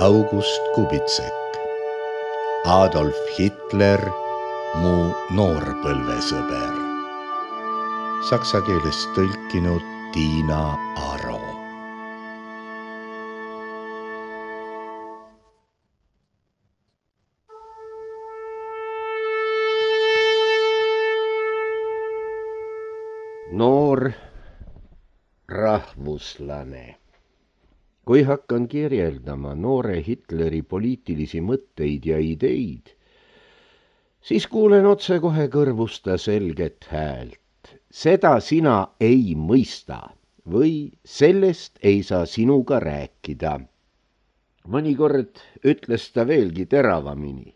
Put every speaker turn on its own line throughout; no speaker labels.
August Kubitsek, Adolf Hitler, mu noorpõlvesõber. Saksa keelest tõlkinud Tiina Aro.
Noor rahvuslane. Kui hakkan kirjeldama noore Hitleri poliitilisi mõtteid ja ideid, siis kuulen otsekohe kõrvusta selget häält. Seda sina ei mõista või sellest ei saa sinuga rääkida. Mõnikord ütles ta veelgi teravamini.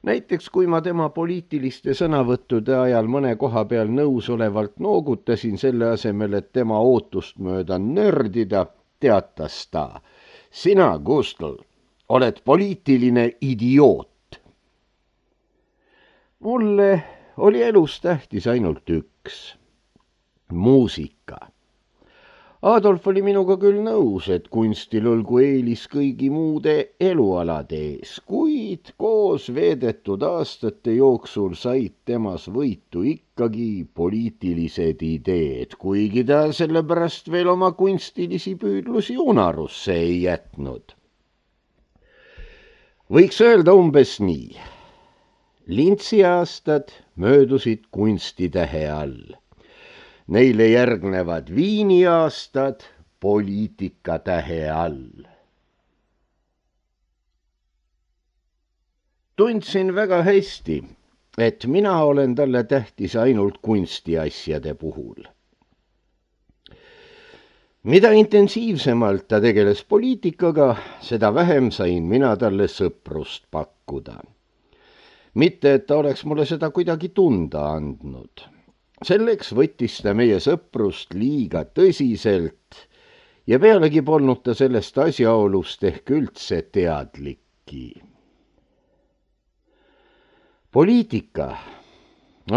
Näiteks kui ma tema poliitiliste sõnavõttude ajal mõne koha peal nõusolevalt noogutasin selle asemel, et tema ootust mööda nördida, teatas ta: sina, Gustl, oled poliitiline idioot. Mulle oli elus tähtis ainult üks: muusika. Adolf oli minuga küll nõus, et kunstil olgu eelis kõigi muude elualade ees, kuid koos veedetud aastate jooksul said temas võitu ikkagi poliitilised ideed, kuigi ta sellepärast veel oma kunstilisi püüdlusi unarusse ei jätnud. Võiks öelda umbes nii: Lintsi aastad möödusid kunstitähe all. Neile järgnevad Viini aastad poliitikatähe all. Tundsin väga hästi, et mina olen talle tähtis ainult kunstiasjade puhul. Mida intensiivsemalt ta tegeles poliitikaga, seda vähem sain mina talle sõprust pakkuda. Mitte, et ta oleks mulle seda kuidagi tunda andnud. Selleks võttis ta meie sõprust liiga tõsiselt ja pealegi polnud ta sellest asjaolust ehk üldse teadlikki. Poliitika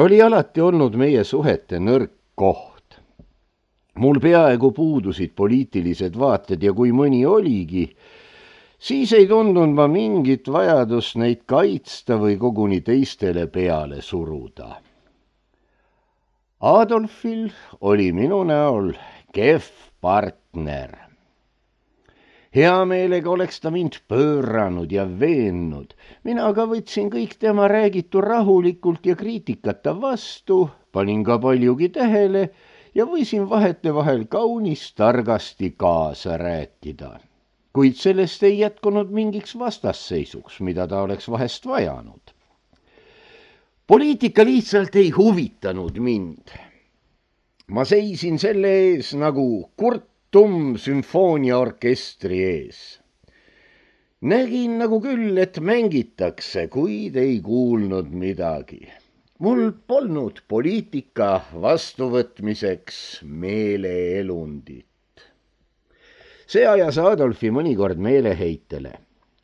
oli alati olnud meie suhete nõrk koht. Mul peaaegu puudusid poliitilised vaated ja kui mõni oligi, siis ei tundnud ma mingit vajadust neid kaitsta või koguni teistele peale suruda. Adolfil oli minu näol kehv partner. Hea meelega oleks ta mind pööranud ja veennud. Mina aga võtsin kõik tema räägitu rahulikult ja kriitikata vastu, panin ka paljugi tähele ja võisin vahetevahel kaunis targasti kaasa rääkida. Kuid sellest ei jätkunud mingiks vastasseisuks, mida ta oleks vahest vajanud. Poliitika lihtsalt ei huvitanud mind. Ma seisin selle ees nagu Kurt Tumm sümfooniaorkestri ees. Nägin nagu küll, et mängitakse, kuid ei kuulnud midagi. Mul polnud poliitika vastuvõtmiseks meeleelundit. See ajas Adolfi mõnikord meeleheitele.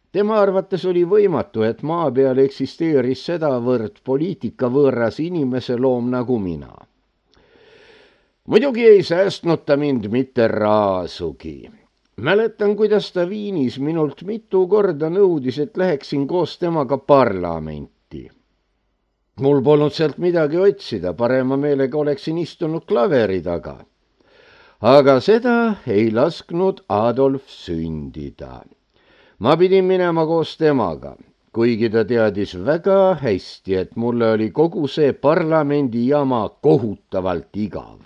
Tema arvates oli võimatu, et maa peal eksisteeris sedavõrd poliitikavõõras inimese loom nagu mina. Muidugi ei säästnud ta mind mitte raasugi. Mäletan, kuidas ta Viinis minult mitu korda nõudis, et läheksin koos temaga parlamenti. Mul polnud sealt midagi otsida, parema meelega oleksin istunud klaveri taga. Aga seda ei lasknud Adolf sündida. Ma pidin minema koos temaga, kuigi ta teadis väga hästi, et mulle oli kogu see parlamendi jama kohutavalt igav.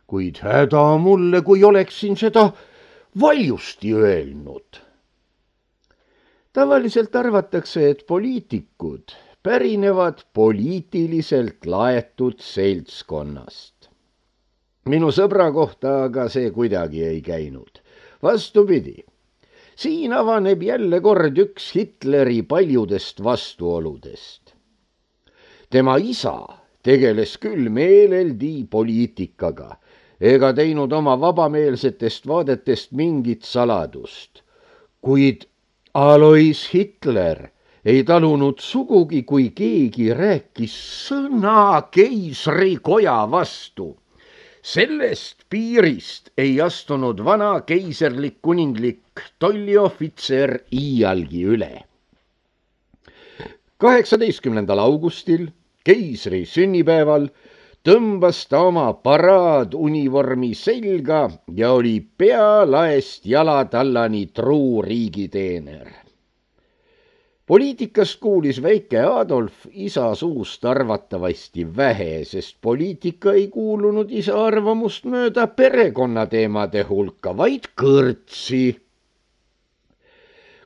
Kuid häda mulle, kui oleksin seda valjusti öelnud. Tavaliselt arvatakse, et poliitikud pärinevad poliitiliselt laetud seltskonnast. Minu sõbra kohta aga see kuidagi ei käinud. Vastupidi. Siin avaneb jälle kord üks Hitleri paljudest vastuoludest. Tema isa tegeles küll meeleldi poliitikaga, ega teinud oma vabameelsetest vaadetest mingit saladust. Kuid Alois Hitler ei talunud sugugi, kui keegi rääkis sõna keisrikoja vastu. Sellest piirist ei astunud vana keiserlik kuninglik tolliohvitser iialgi üle. 18. augustil, keisri sünnipäeval, tõmbas ta oma paraadunivormi selga ja oli pealaest jalatallani truu riigiteener. Poliitikast kuulis väike Adolf isa suust arvatavasti vähe, sest poliitika ei kuulunud isa arvamust mööda perekonnateemade hulka, vaid kõrtsi.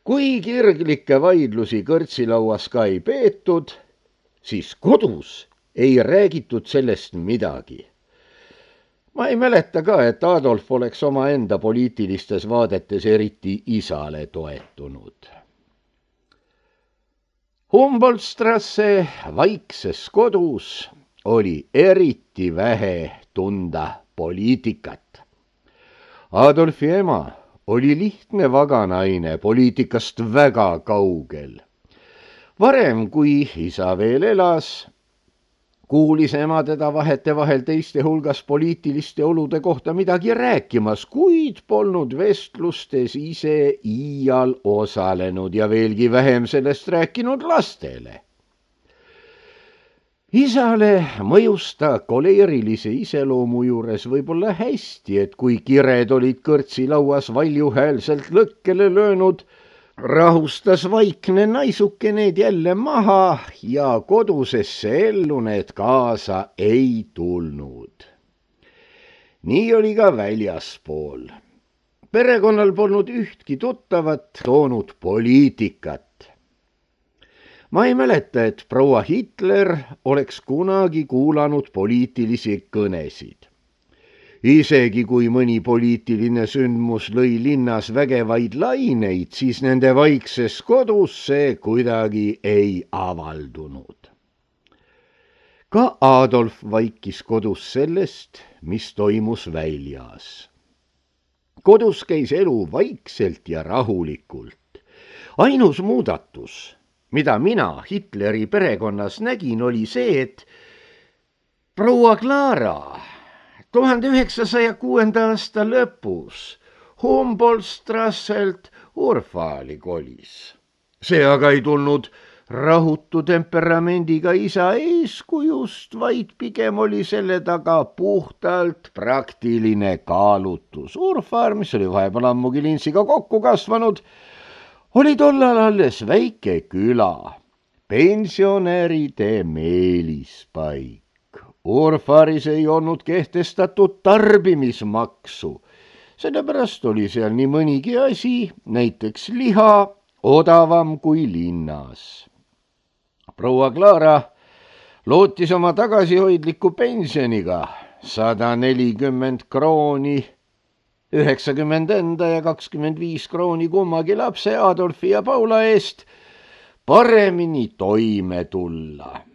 Kui kirglikke vaidlusi kõrtsilauas ka ei peetud, siis kodus ei räägitud sellest midagi. Ma ei mäleta ka, et Adolf oleks omaenda poliitilistes vaadetes eriti isale toetunud. Humboldtstrasse vaikses kodus oli eriti vähe tunda poliitikat. Adolfi ema oli lihtne vaganaine, poliitikast väga kaugel. Varem, kui isa veel elas, kuulis ema teda vahetevahel teiste hulgas poliitiliste olude kohta midagi rääkimas, kuid polnud vestlustes ise iial osalenud ja veelgi vähem sellest rääkinud lastele. Isale mõjus ta koleerilise iseloomu juures võib-olla hästi, et kui kired olid kõrtsilauas valjuhäälselt lõkkele löönud, rahustas vaikne naisuke need jälle maha ja kodusesse ellu need kaasa ei tulnud. Nii oli ka väljaspool. Perekonnal polnud ühtki tuttavat toonud poliitikat. Ma ei mäleta, et proua Hitler oleks kunagi kuulanud poliitilisi kõnesid. Isegi kui mõni poliitiline sündmus lõi linnas vägevaid laineid, siis nende vaikses kodus see kuidagi ei avaldunud. Ka Adolf vaikis kodus sellest, mis toimus väljas. Kodus käis elu vaikselt ja rahulikult. Ainus muudatus, mida mina Hitleri perekonnas nägin, oli see, et proua Clara 1906. aasta lõpus Humboldtstrasselt Urfaali kolis. See aga ei tulnud rahutu temperamendiga isa eeskujust, vaid pigem oli selle taga puhtalt praktiline kaalutus. Urfaar, mis oli vahepeal ammugi Lintsiga kokku kasvanud, oli tollal alles väike küla, pensionäride meelispaik. Urfaaris ei olnud kehtestatud tarbimismaksu, sellepärast oli seal nii mõnigi asi, näiteks liha, odavam kui linnas. Proua Clara lootis oma tagasihoidliku pensioniga 140 krooni, 90 enda ja 25 krooni kummagi lapse Adolfi ja Paula eest paremini toime tulla.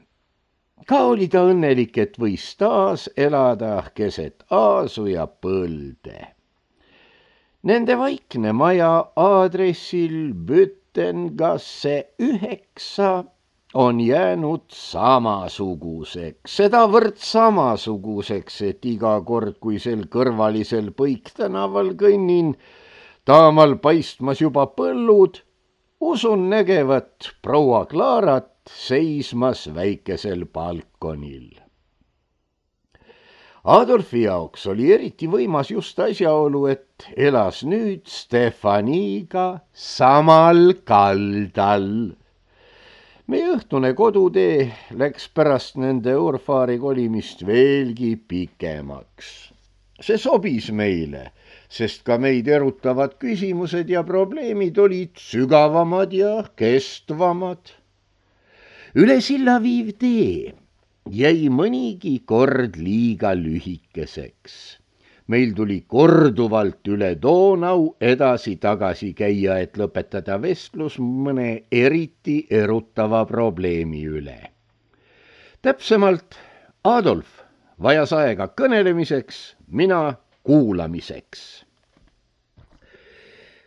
Ka oli ta õnnelik, et võis taas elada keset aasu ja põlde. Nende vaikne maja aadressil Büttengasse 9 on jäänud samasuguseks, sedavõrd samasuguseks, et iga kord, kui sel kõrvalisel Põiktänaval kõnnin, taamal paistmas juba põllud, usun nägevat proua Clarat seismas väikesel balkonil. Adolfi jaoks oli eriti võimas just asjaolu, et elas nüüd Stefaniga samal kaldal. Meie õhtune kodutee läks pärast nende Urfaari kolimist veelgi pikemaks. See sobis meile, sest ka meid erutavad küsimused ja probleemid olid sügavamad ja kestvamad. Üle silla viiv tee jäi mõnigi kord liiga lühikeseks. Meil tuli korduvalt üle Donau edasi-tagasi käia, et lõpetada vestlus mõne eriti erutava probleemi üle. Täpsemalt, Adolf vajas aega kõnelemiseks, mina kuulamiseks.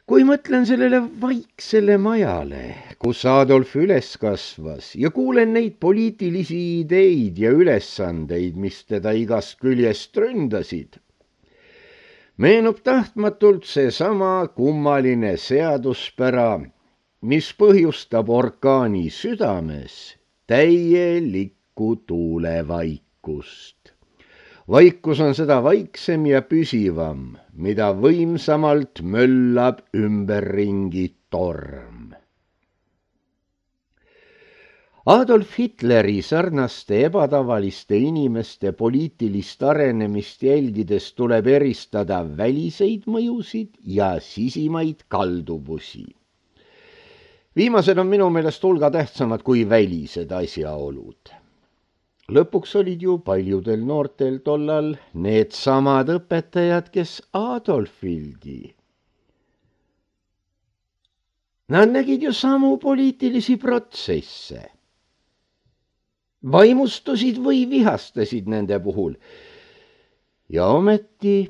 Kui mõtlen sellele vaiksele majale, kus Adolf üles kasvas ja kuulen neid poliitilisi ideid ja ülesandeid, mis teda igast küljest ründasid, meenub tahtmatult seesama kummaline seaduspära, mis põhjustab orkaani südames täielikku tuulevaikust. Vaikus on seda vaiksem ja püsivam, mida võimsamalt möllab ümberringi torm. Adolf Hitleri sarnaste ebatavaliste inimeste poliitilist arenemist jälgides tuleb eristada väliseid mõjusid ja sisimaid kalduvusi. Viimased on minu meelest hulga tähtsamad kui välised asjaolud. Lõpuks olid ju paljudel noortel tollal needsamad õpetajad, kes Adolfilgi. Nad nägid ju samu poliitilisi protsesse. Vaimustusid või vihastasid nende puhul. Ja ometi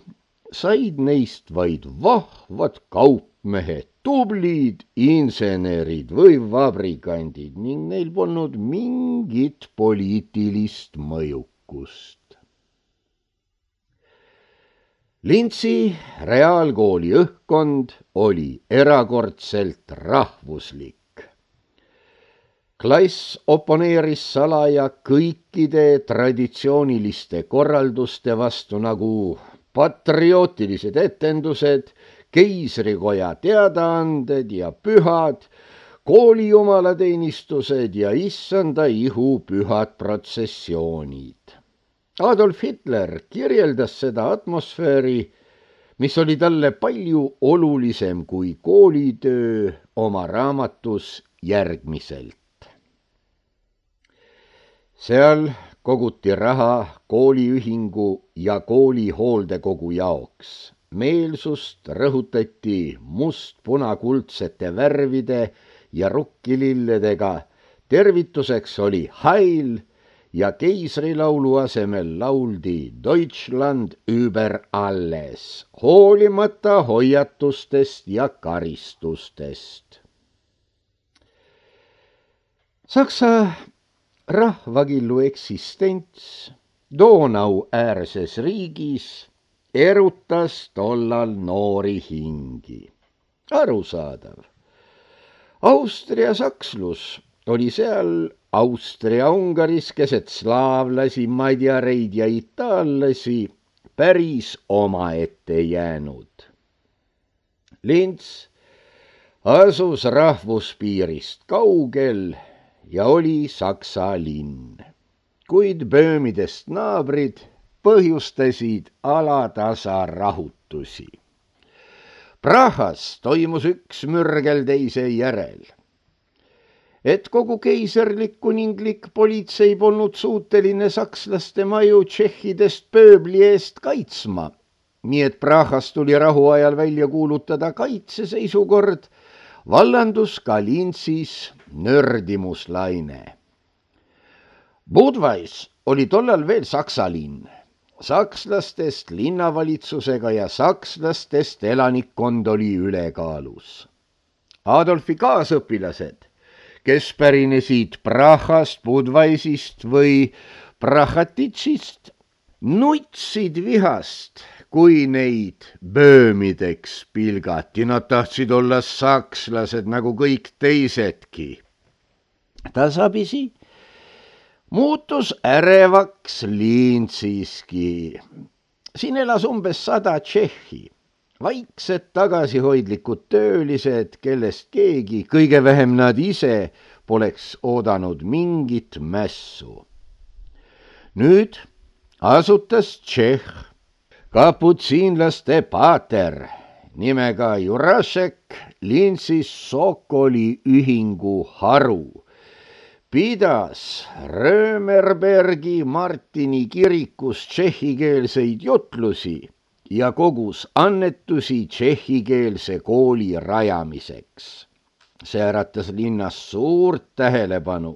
said neist vaid vahvad kaupmehed, tublid insenerid või vabrikandid ning neil polnud mingit poliitilist mõjukust. Lintsi reaalkooli õhkkond oli erakordselt rahvuslik. Klass oponeeris salaja kõikide traditsiooniliste korralduste vastu nagu patriootilised etendused, keisrikoja teadaanded ja pühad, kooli jumalateenistused ja issanda ihu pühad protsessioonid. Adolf Hitler kirjeldas seda atmosfääri, mis oli talle palju olulisem kui koolitöö, oma raamatus järgmiselt. Seal koguti raha kooliühingu ja kooli hooldekogu jaoks. Meelsust rõhutati must-punakuldsete värvide ja rukkililledega. Tervituseks oli Heil ja keisrilaulu asemel lauldi Deutschland über alles, hoolimata hoiatustest ja karistustest. Saksa rahvakillu eksistents Donau-äärses riigis erutas tollal noori hingi. Arusaadav. Austria-sakslus oli seal Austria-Ungaris keset slaavlasi, madjareid ja itaallasi päris omaette jäänud. Lints asus rahvuspiirist kaugel ja oli Saksa linn, kuid Böömidest naabrid põhjustasid alatasa rahutusi. Prahas toimus üks mürgel teise järel. Et kogu keiserlik kuninglik politsei polnud suuteline sakslaste maju tšehhidest pööbli eest kaitsma, nii et Prahas tuli rahuajal välja kuulutada kaitseseisukord, vallandus ka Lintsis nördimuslaine. Budweis oli tollal veel Saksa linn. Sakslastest linnavalitsusega ja sakslastest elanikkond oli ülekaalus. Adolfi kaasõpilased, kes pärinesid Prahast, Budweisist või Prahatitšist, nutsid vihast, kui neid böömideks pilgati. Nad tahtsid olla sakslased nagu kõik teisedki. Tasapisi muutus ärevaks Lintsiski. Siin elas umbes 100 tšehhi, vaiksed tagasihoidlikud töölised, kellest keegi, kõige vähem nad ise, poleks oodanud mingit mässu. Nüüd asutas Tšehh kaputsiinlaste paater nimega Jurašek Lintsis Sokoli ühingu haru. Pidas Römerbergi Martini kirikus tšehhikeelseid jutlusi ja kogus annetusi tšehhikeelse kooli rajamiseks. See äratas linnas suurt tähelepanu.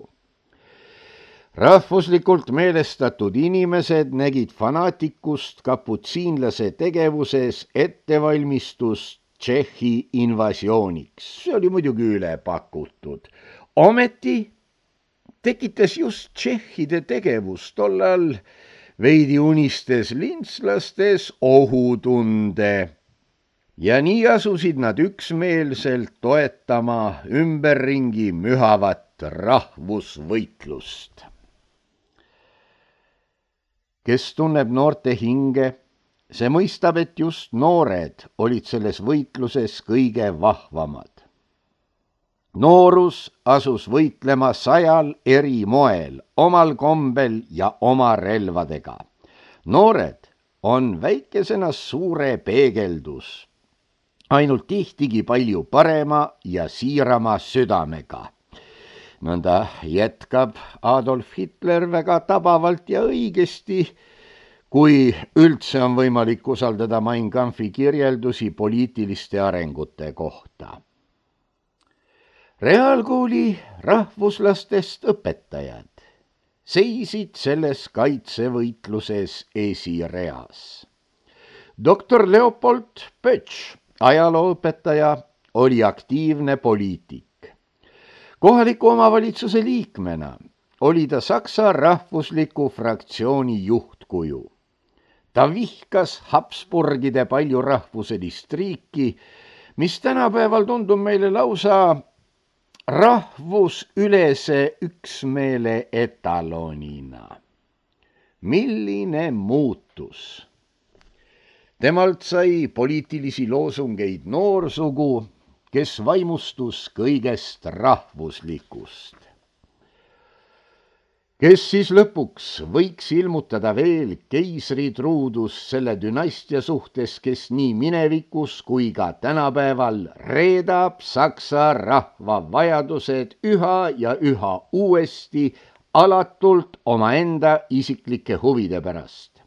Rahvuslikult meelestatud inimesed nägid fanaatikust kaputsiinlase tegevuses ettevalmistust Tšehhi invasiooniks. See oli muidugi üle pakutud. Ometi tekitas just tšehhide tegevus tollal veidi unistes lintslastes ohutunde ja nii asusid nad üksmeelselt toetama ümberringi mühavat rahvusvõitlust. Kes tunneb noorte hinge, see mõistab, et just noored olid selles võitluses kõige vahvamad. Noorus asus võitlema 100 eri moel, omal kombel ja oma relvadega. Noored on väikesena suure peegeldus, ainult tihtigi palju parema ja siirama südamega. Nõnda jätkab Adolf Hitler väga tabavalt ja õigesti, kui üldse on võimalik usaldada Mein Kampfi kirjeldusi poliitiliste arengute kohta. Reaalkooli rahvuslastest õpetajad seisid selles kaitsevõitluses esireas. Doktor Leopold Pötš, ajalooõpetaja, oli aktiivne poliitik. Kohaliku omavalitsuse liikmena oli ta Saksa rahvusliku fraktsiooni juhtkuju. Ta vihkas Habsburgide paljurahvuselist riiki, mis tänapäeval tundub meile lausa rahvusülese üksmeele etalonina. Milline muutus! Temalt sai poliitilisi loosungeid noorsugu, kes vaimustus kõigest rahvuslikust. Kes siis lõpuks võiks ilmutada veel keisritruudus selle dünastia suhtes, kes nii minevikus kui ka tänapäeval reedab saksa rahva vajadused üha ja üha uuesti alatult omaenda isiklike huvide pärast.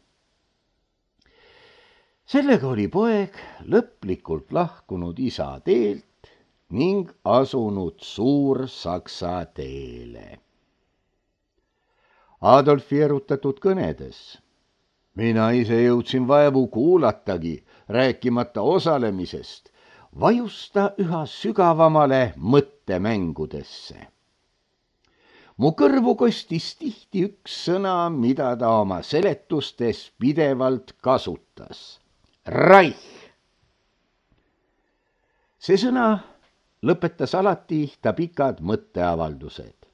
Sellega oli poeg lõplikult lahkunud isa teelt ning asunud Suur-Saksa teele. Adolfi erutatud kõnedes. Mina ise jõudsin vaevu kuulatagi, rääkimata osalemisest, vajusta üha sügavamale mõttemängudesse. Mu kõrvu kostis tihti üks sõna, mida ta oma seletustes pidevalt kasutas. Reich. See sõna lõpetas alati ta pikad mõtteavaldused.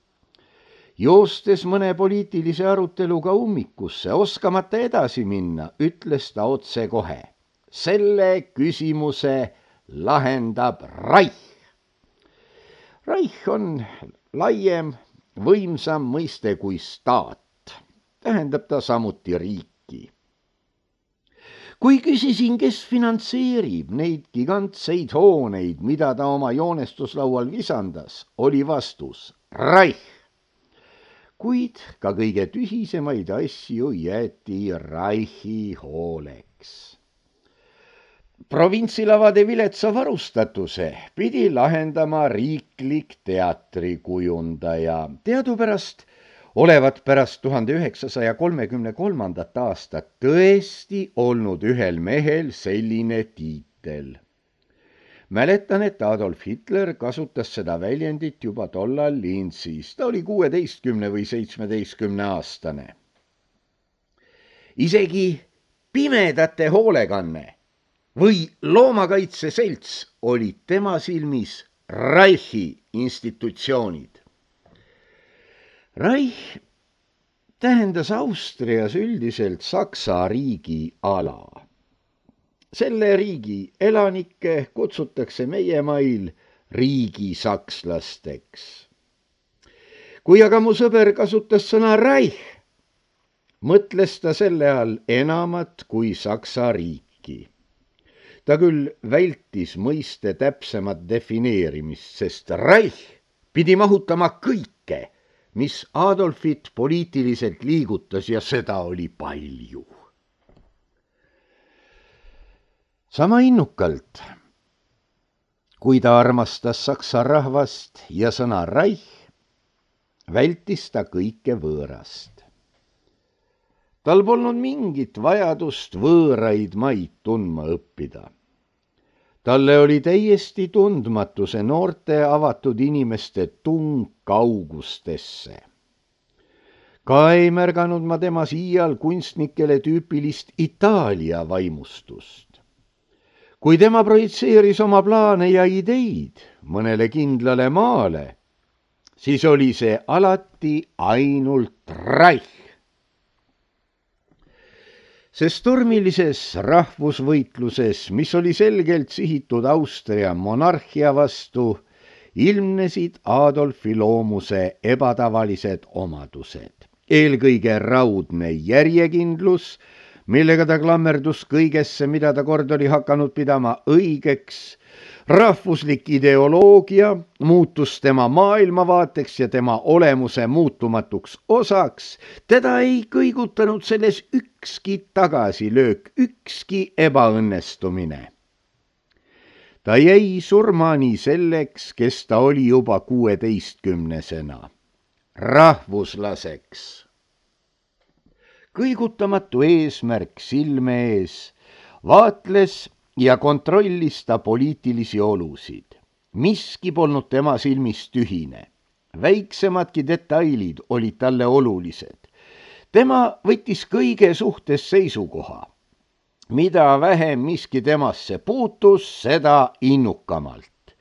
Joostes mõne poliitilise aruteluga ummikusse, oskamata edasi minna, ütles ta otse kohe. Selle küsimuse lahendab Reich. Reich on laiem, võimsam mõiste kui staat. Tähendab ta samuti riiki. Kui küsisin, kes finantseerib neid gigantseid hooneid, mida ta oma joonestuslaual visandas, oli vastus Reich. Kuid ka kõige tühisemaid asju jäeti Reichi hooleks. Provintsilavade viletsa varustatuse pidi lahendama riiklik teatrikujundaja. Teadupärast olevat pärast 1933. aastat tõesti olnud ühel mehel selline tiitel. Mäletan, et Adolf Hitler kasutas seda väljendit juba tollal Linzis. Ta oli 16 või 17 aastane. Isegi pimedate hoolekanne või loomakaitseselts olid tema silmis Reichi institutsioonid. Reich tähendas Austrias üldiselt Saksa riigi ala. Selle riigi elanikke kutsutakse meie mail riigisakslasteks. Kui aga mu sõber kasutas sõna Reich, mõtles ta selle all enamat kui Saksa riiki. Ta küll vältis mõiste täpsemat defineerimist, sest Reich pidi mahutama kõike, mis Adolfit poliitiliselt liigutas, ja seda oli palju. Sama innukalt, kui ta armastas saksa rahvast ja sõna Reich, vältis ta kõike võõrast. Tal polnud mingit vajadust võõraid maid tundma õppida. Talle oli täiesti tundmatu see noorte avatud inimeste tung kaugustesse. Ka ei märganud ma temas iial kunstnikele tüüpilist Itaalia vaimustust. Kui tema projitseeris oma plaane ja ideid mõnele kindlale maale, siis oli see alati ainult Reich. Sest tormilises rahvusvõitluses, mis oli selgelt sihitud Austria monarhia vastu, ilmnesid Adolfi loomuse ebatavalised omadused. Eelkõige raudne järjekindlus, millega ta klammerdus kõigesse, mida ta kord oli hakanud pidama õigeks, rahvuslik ideoloogia muutus tema maailmavaateks ja tema olemuse muutumatuks osaks, teda ei kõigutanud selles ükski tagasilöök, ükski ebaõnnestumine. Ta jäi surmani selleks, kes ta oli juba 16-sena, rahvuslaseks. Kõigutamatu eesmärk silme ees, vaatles ja kontrollis ta poliitilisi olusid. Miski polnud tema silmis tühine. Väiksemadki detailid olid talle olulised. Tema võttis kõige suhtes seisukoha. Mida vähem miski temasse puutus, seda innukamalt.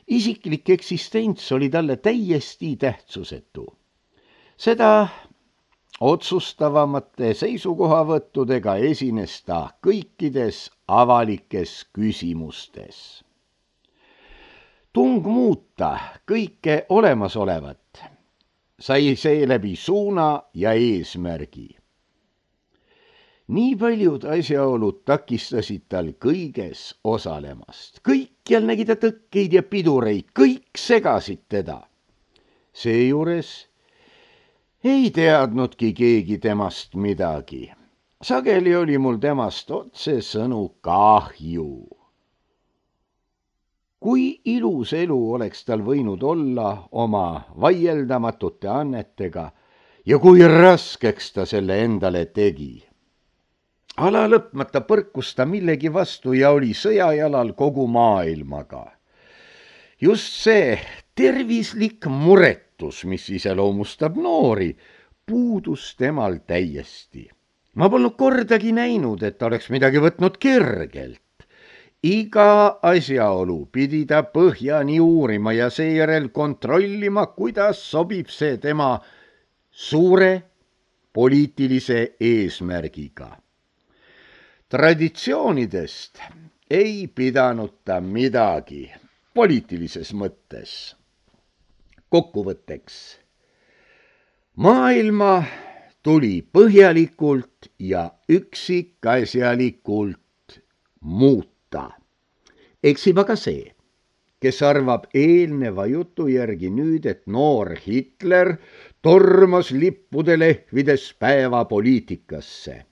Isiklik eksistents oli talle täiesti tähtsusetu. Seda otsustavamate seisukohavõttudega esines ta kõikides avalikes küsimustes. Tung muuta kõike olemasolevat sai seeläbi suuna ja eesmärgi. Nii paljud asjaolud takistasid tal kõiges osalemast. Kõikjal nägi ta tõkkeid ja pidureid, kõik segasid teda. Seejuures ei teadnudki keegi temast midagi. Sageli oli mul temast otsesõnu kahju. Kui ilus elu oleks tal võinud olla oma vaieldamatute annetega ja kui raskeks ta selle endale tegi. Ala lõpmata põrkus ta millegi vastu ja oli sõjajalal kogu maailmaga. Just see tervislik muretus, mis iseloomustab noori, puudus temal täiesti. Ma polnud kordagi näinud, et ta oleks midagi võtnud kergelt. Iga asjaolu pidi ta põhjani uurima ja seejärel kontrollima, kuidas sobib see tema suure poliitilise eesmärgiga. Traditsioonidest ei pidanud ta midagi poliitilises mõttes. Kokkuvõtteks. Maailma tuli põhjalikult ja üksikasjalikult muuta. Eksib aga see, kes arvab eelneva jutu järgi nüüd, et noor Hitler tormas lippude lehvides päevapoliitikasse.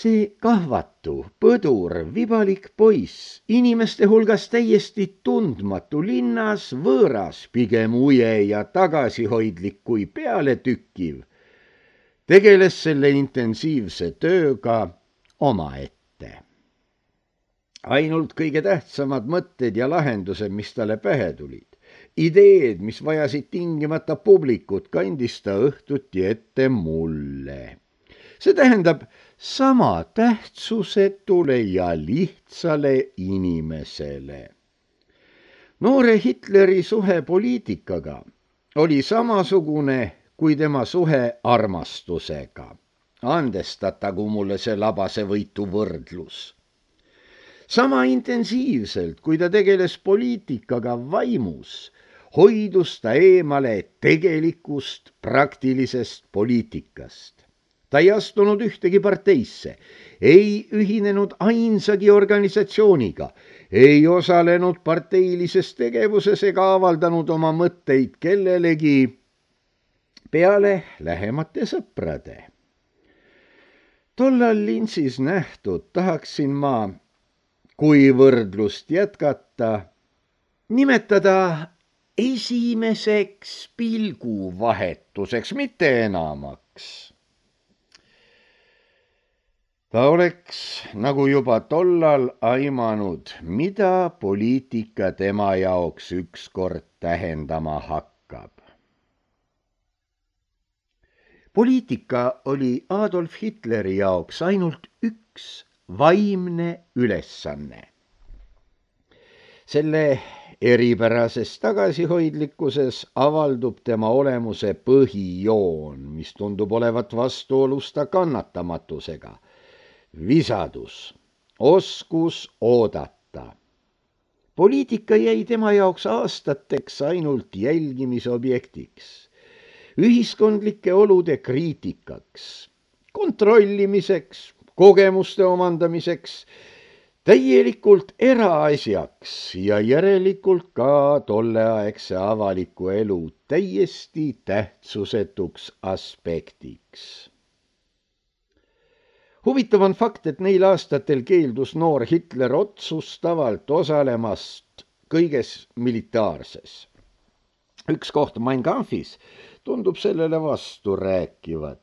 See kahvatu, põdur, vibalik poiss, inimeste hulgas täiesti tundmatu, linnas võõras, pigem uje ja tagasihoidlik kui pealetükkiv, tegeles selle intensiivse tööga omaette. Ainult kõige tähtsamad mõtted ja lahendused, mis talle pähe tulid, ideed, mis vajasid tingimata publikut, kandis ta õhtuti ette mulle. See tähendab sama tähtsusetule ja lihtsale inimesele. Noore Hitleri suhe poliitikaga oli samasugune kui tema suhe armastusega. Andestatagu mulle see labase võitu võrdlus. Sama intensiivselt, kui ta tegeles poliitikaga vaimus, hoidus ta eemale tegelikust praktilisest poliitikast. Ta ei astunud ühtegi parteisse, ei ühinenud ainsagi organisatsiooniga, ei osalenud parteilises tegevuses ega avaldanud oma mõtteid kellelegi peale lähemate sõprade. Tollal lintsis nähtud tahaksin ma, kui võrdlust jätkata, nimetada esimeseks pilguvahetuseks, mitte enamaks. Ta oleks nagu juba tollal aimanud, mida poliitika tema jaoks ükskord tähendama hakkab. Poliitika oli Adolf Hitleri jaoks ainult üks vaimne ülesanne. Selle eripärases tagasihoidlikkuses avaldub tema olemuse põhijoon, mis tundub olevat vastuolus ta kannatamatusega. Visadus, oskus oodata. Poliitika jäi tema jaoks aastateks ainult jälgimisobjektiks, ühiskondlike olude kriitikaks, kontrollimiseks, kogemuste omandamiseks, täielikult eraasjaks ja järelikult ka tolleaegse avaliku elu täiesti tähtsusetuks aspektiks. Huvitav on fakt, et neil aastatel keeldus noor Hitler otsustavalt osalemast kõiges militaarses. Üks koht Mein Kampfis tundub sellele vastu rääkivat.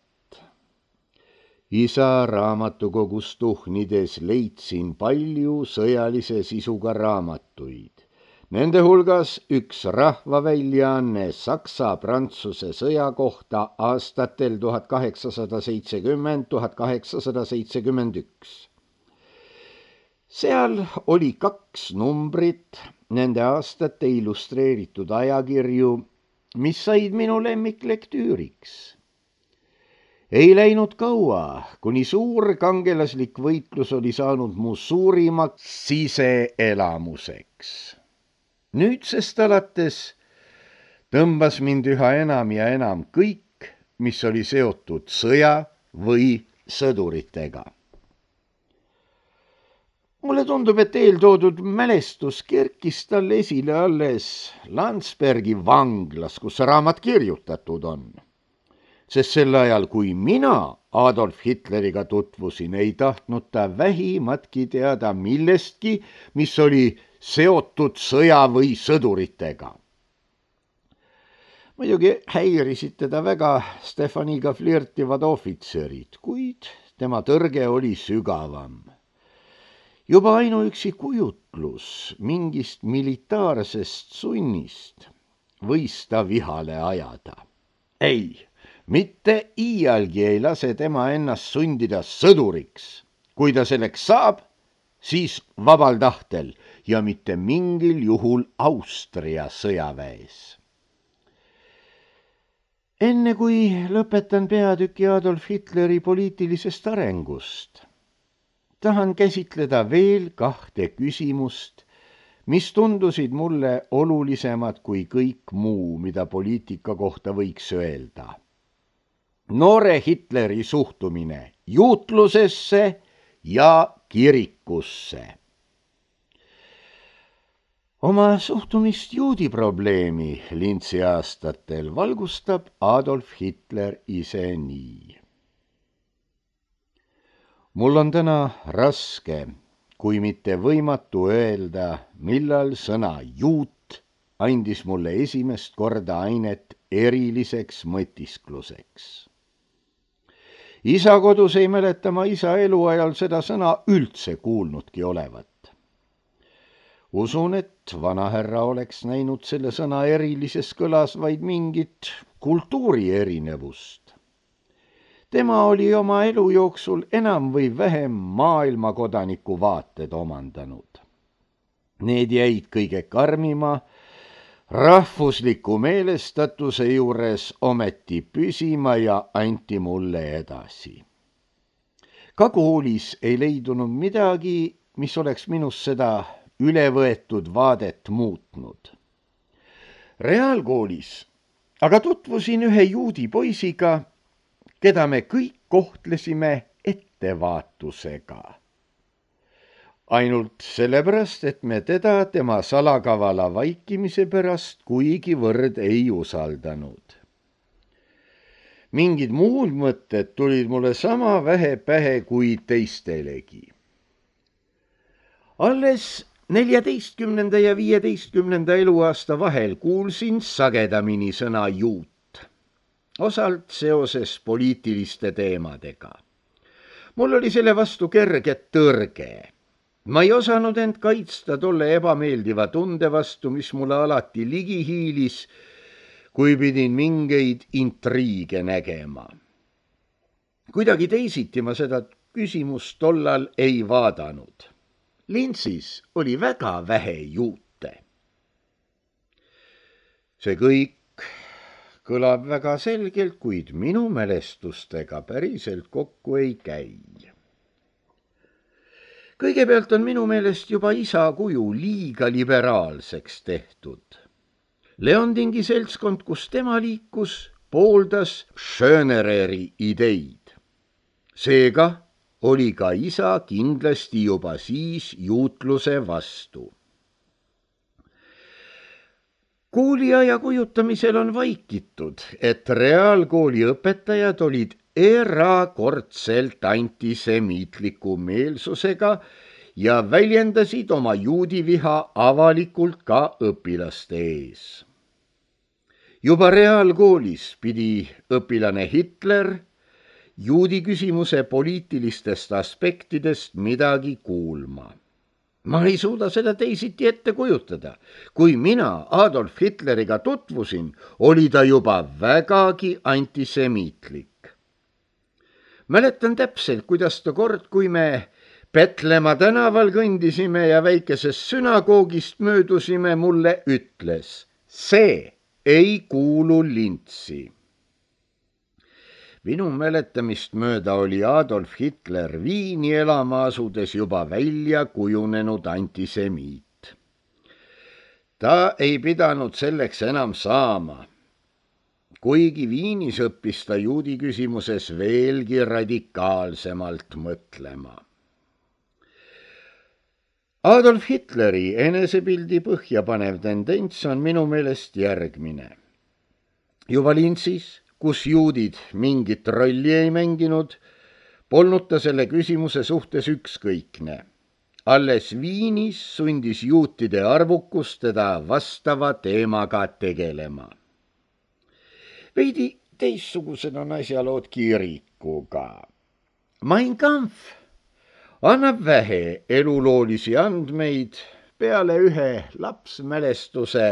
Isa raamatukogus tuhnides leidsin palju sõjalise sisuga raamatuid. Nende hulgas üks rahvaväljaanne Saksa-Prantsuse sõja kohta aastatel 1870–1871. Seal oli 2 numbrit nende aastate illustreeritud ajakirju, mis said minu lemmiklektüüriks. Ei läinud kaua, kuni suur kangelaslik võitlus oli saanud mu suurimaks siseelamuseks. Nüüdsest alates tõmbas mind üha enam ja enam kõik, mis oli seotud sõja või sõduritega. Mulle tundub, et eeltoodud mälestus kerkis tal esile alles Landsbergi vanglas, kus raamat kirjutatud on. Sest sel ajal, kui mina Adolf Hitleriga tutvusin, ei tahtnud ta vähimatki teada millestki, mis oli seotud sõja või sõduritega. Muidugi häirisid teda väga Stefaniga flirtivad ohvitserid, kuid tema tõrge oli sügavam. Juba ainuüksi kujutlus mingist militaarsest sunnist võis ta vihale ajada. Ei, mitte iialgi ei lase tema ennast sundida sõduriks. Kui ta selleks saab, siis vabal tahtel ja mitte mingil juhul Austria sõjaväes. Enne kui lõpetan peatüki Adolf Hitleri poliitilisest arengust, tahan käsitleda veel 2 küsimust, mis tundusid mulle olulisemad kui kõik muu, mida poliitika kohta võiks öelda. Noore Hitleri suhtumine juutlusesse ja kirikusse. Oma suhtumist juudi probleemi Lintsi aastatel valgustab Adolf Hitler ise nii. Mul on täna raske, kui mitte võimatu öelda, millal sõna juut andis mulle esimest korda ainet eriliseks mõtiskluseks. Isa kodus ei mäleta ma isa eluajal seda sõna üldse kuulnudki olevat. Usun, et vanahärra oleks näinud selle sõna erilises kõlas vaid mingit kultuuri erinevust. Tema oli oma elu jooksul enam või vähem maailmakodaniku vaated omandanud. Need jäid kõige karmima rahvusliku meelestatuse juures ometi püsima ja anti mulle edasi. Ka koolis ei leidunud midagi, mis oleks minus seda ülevõetud vaadet muutnud. Reaalkoolis aga tutvusin ühe juudi poisiga, keda me kõik kohtlesime ettevaatusega. Ainult sellepärast, et me teda tema salakavala vaikimise pärast kuigivõrd ei usaldanud. Mingid muud mõtted tulid mulle sama vähe pähe kui teistelegi. Alles 14. ja 15. eluaasta vahel kuulsin sagedamini sõna juut, osalt seoses poliitiliste teemadega. mul oli selle vastu kerge tõrge. Ma ei osanud end kaitsta tolle ebameeldiva tunde vastu, mis mulle alati ligi hiilis, kui pidin mingeid intriige nägema. Kuidagi teisiti ma seda küsimust tollal ei vaadanud. Lintsis oli väga vähe juute. See kõik kõlab väga selgelt, kuid minu mälestustega päriselt kokku ei käi. Kõigepealt on minu meelest juba isa kuju liiga liberaalseks tehtud. Leondingi seltskond, kus tema liikus, pooldas Schönereri ideid. Seega oli ka isa kindlasti juba siis juutluse vastu. Kooliaja kujutamisel on vaikitud, et reaalkooli õpetajad olid erakordselt antisemiitliku meelsusega ja väljendasid oma juudiviha avalikult ka õpilaste ees. Juba reaalkoolis pidi õpilane Hitler juudi küsimuse poliitilistest aspektidest midagi kuulma. Ma ei suuda seda teisiti ette kujutada. Kui mina Adolf Hitleriga tutvusin, oli ta juba vägagi antisemiitlik. Mäletan täpselt, kuidas ta kord, kui me Petlemma tänaval kõndisime ja väikesest sünagoogist möödusime, mulle ütles, see ei kuulu Lintsi. Minu mäletamist mööda oli Adolf Hitler Viini elama asudes juba välja kujunenud antisemiit. Ta ei pidanud selleks enam saama, kuigi Viinis õppis ta juudi küsimuses veelgi radikaalsemalt mõtlema. Adolf Hitleri enesepildi põhjapanev tendents on minu meelest järgmine. Juba Lintsis, kus juudid mingit rolli ei mänginud, polnud ta selle küsimuse suhtes ükskõikne. Alles Viinis sundis juutide arvukus teda vastava teemaga tegelema. Veidi teistsugused on asjalood kirikuga. Mein Kampf annab vähe eluloolisi andmeid peale ühe lapsmälestuse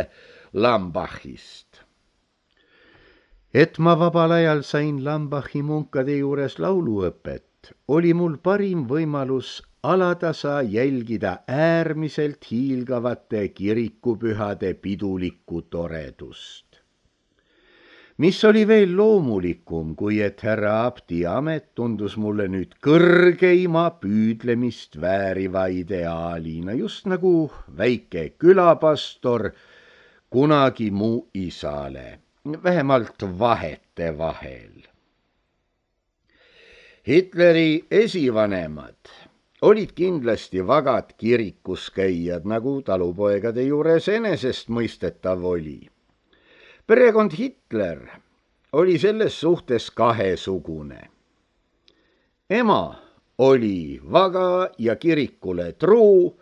Lambachist. Et ma vabal ajal sain Lambachi munkade juures lauluõpet, oli mul parim võimalus alatasa jälgida äärmiselt hiilgavate kirikupühade pidulikku toredust. Mis oli veel loomulikum, kui et härra abdi amet tundus mulle nüüd kõrgeima püüdlemist vääriva ideaalina, just nagu väike külapastor kunagi mu isale. Vähemalt vahete vahel. Hitleri esivanemad olid kindlasti vagad kirikuskäijad, nagu talupoegade juures enesestmõistetav oli. Perekond Hitler oli selles suhtes kahesugune. Ema oli vaga ja kirikule truu,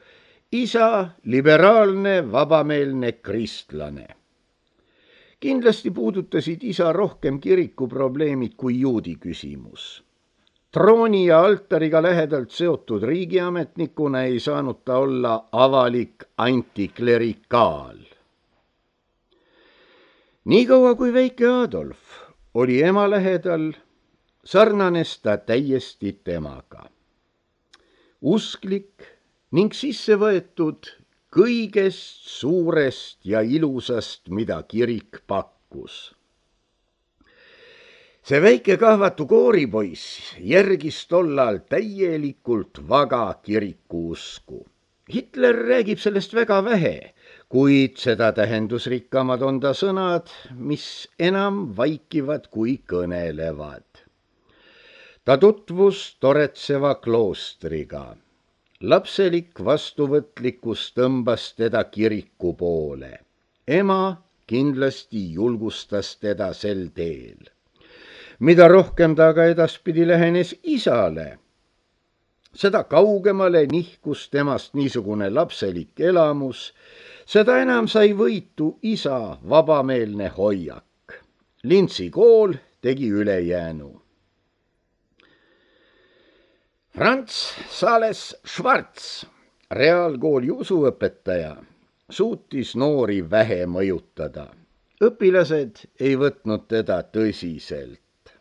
isa liberaalne, vabameelne kristlane. Kindlasti puudutasid isa rohkem kirikuprobleemid kui juudi küsimus. Trooni ja altariga lähedalt seotud riigiametnikuna ei saanud ta olla avalik antiklerikaal. Niikaua kui väike Adolf oli ema lähedal, sarnanes ta täiesti temaga. Usklik ning sisse võetud kõigest suurest ja ilusast, mida kirik pakkus. See väike kahvatu kooripoiss järgis tollal täielikult vaga kirikuusku. Hitler räägib sellest väga vähe, kuid seda tähendusrikkamad on ta sõnad, mis enam vaikivad kui kõnelevad. Ta tutvus toretseva kloostriga. Lapselik vastuvõtlikkus tõmbas teda kiriku poole. Ema kindlasti julgustas teda sel teel. Mida rohkem ta aga edaspidi lähenes isale, seda kaugemale nihkus temast niisugune lapselik elamus, seda enam sai võitu isa vabameelne hoiak. Lintsi kool tegi ülejäänu. Franz Sales Schwarz, reaalkooli usuõpetaja, suutis noori vähe mõjutada. Õpilased ei võtnud teda tõsiselt.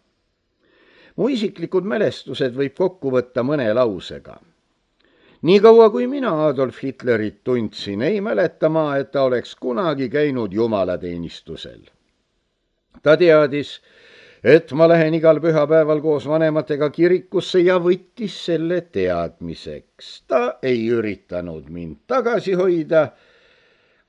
Mu isiklikud mälestused võib kokku võtta mõne lausega. Nii kaua kui mina Adolf Hitlerit tundsin, ei mäleta ma, et ta oleks kunagi käinud jumalateenistusel. Ta teadis, et ma lähen igal pühapäeval koos vanematega kirikusse ja võttis selle teadmiseks. Ta ei üritanud mind tagasi hoida,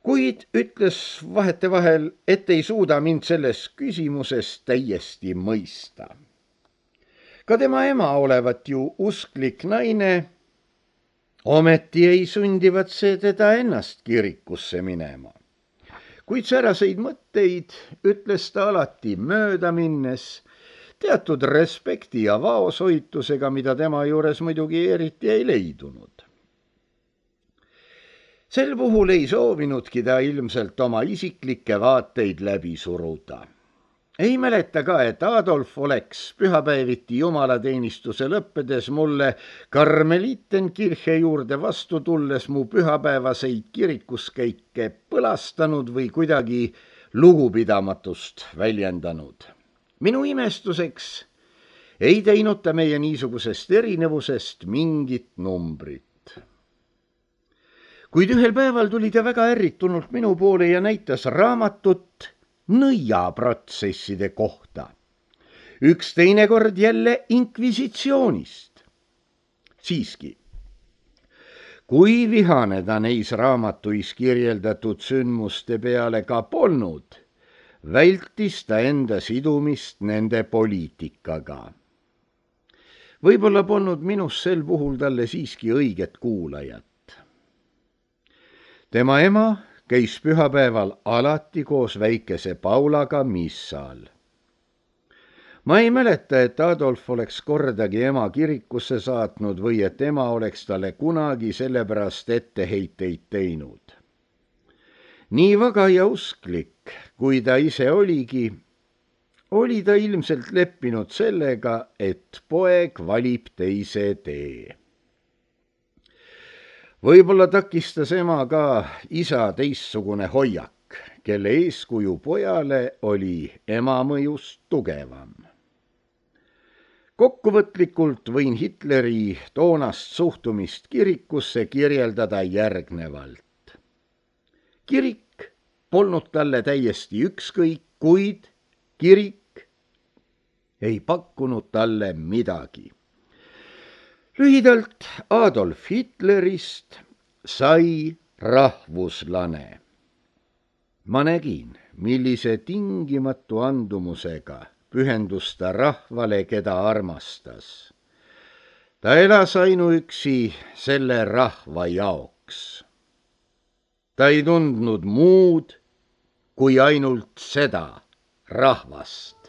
kuid ütles vahetevahel, et ei suuda mind selles küsimuses täiesti mõista. Ka tema ema olevat ju usklik naine, ometi ei sundivat see teda ennast kirikusse minema. Kuid säraseid mõtteid ütles ta alati mööda minnes, teatud respekti ja vaoshoitusega, mida tema juures muidugi eriti ei leidunud. Sel puhul ei soovinudki ta ilmselt oma isiklikke vaateid läbi suruda. Ei mäleta ka, et Adolf oleks pühapäeviti jumalateenistuse lõppedes mulle Karmelitenkirche juurde vastu tulles mu pühapäevaseid kirikuskäike põlastanud või kuidagi lugupidamatust väljendanud. Minu imestuseks ei teinud ta meie niisugusest erinevusest mingit numbrit. Kuid ühel päeval tuli ta väga ärritunult minu poole ja näitas raamatut nõiaprotsesside kohta. Üks teinekord jälle inkvisitsioonist. Siiski, kui vihane ta neis raamatuis kirjeldatud sündmuste peale ka polnud, vältis ta enda sidumist nende poliitikaga. Võib-olla polnud minus sel puhul talle siiski õiget kuulajat. Tema ema käis pühapäeval alati koos väikese Paulaga missal. Ma ei mäleta, et Adolf oleks kordagi ema kirikusse saatnud või et ema oleks talle kunagi sellepärast etteheiteid teinud. Nii vaga ja usklik, kui ta ise oligi, oli ta ilmselt leppinud sellega, et poeg valib teise tee. Võib-olla takistas ema ka isa teistsugune hoiak, kelle eeskuju pojale oli ema mõjust tugevam. Kokkuvõtlikult võin Hitleri toonast suhtumist kirikusse kirjeldada järgnevalt. Kirik polnud talle täiesti ükskõik, kuid kirik ei pakkunud talle midagi. Lühidalt Adolf Hitlerist sai rahvuslane. Ma nägin, millise tingimatu andumusega pühendus ta rahvale, keda armastas. Ta elas ainuüksi selle rahva jaoks. Ta ei tundnud muud kui ainult seda rahvast.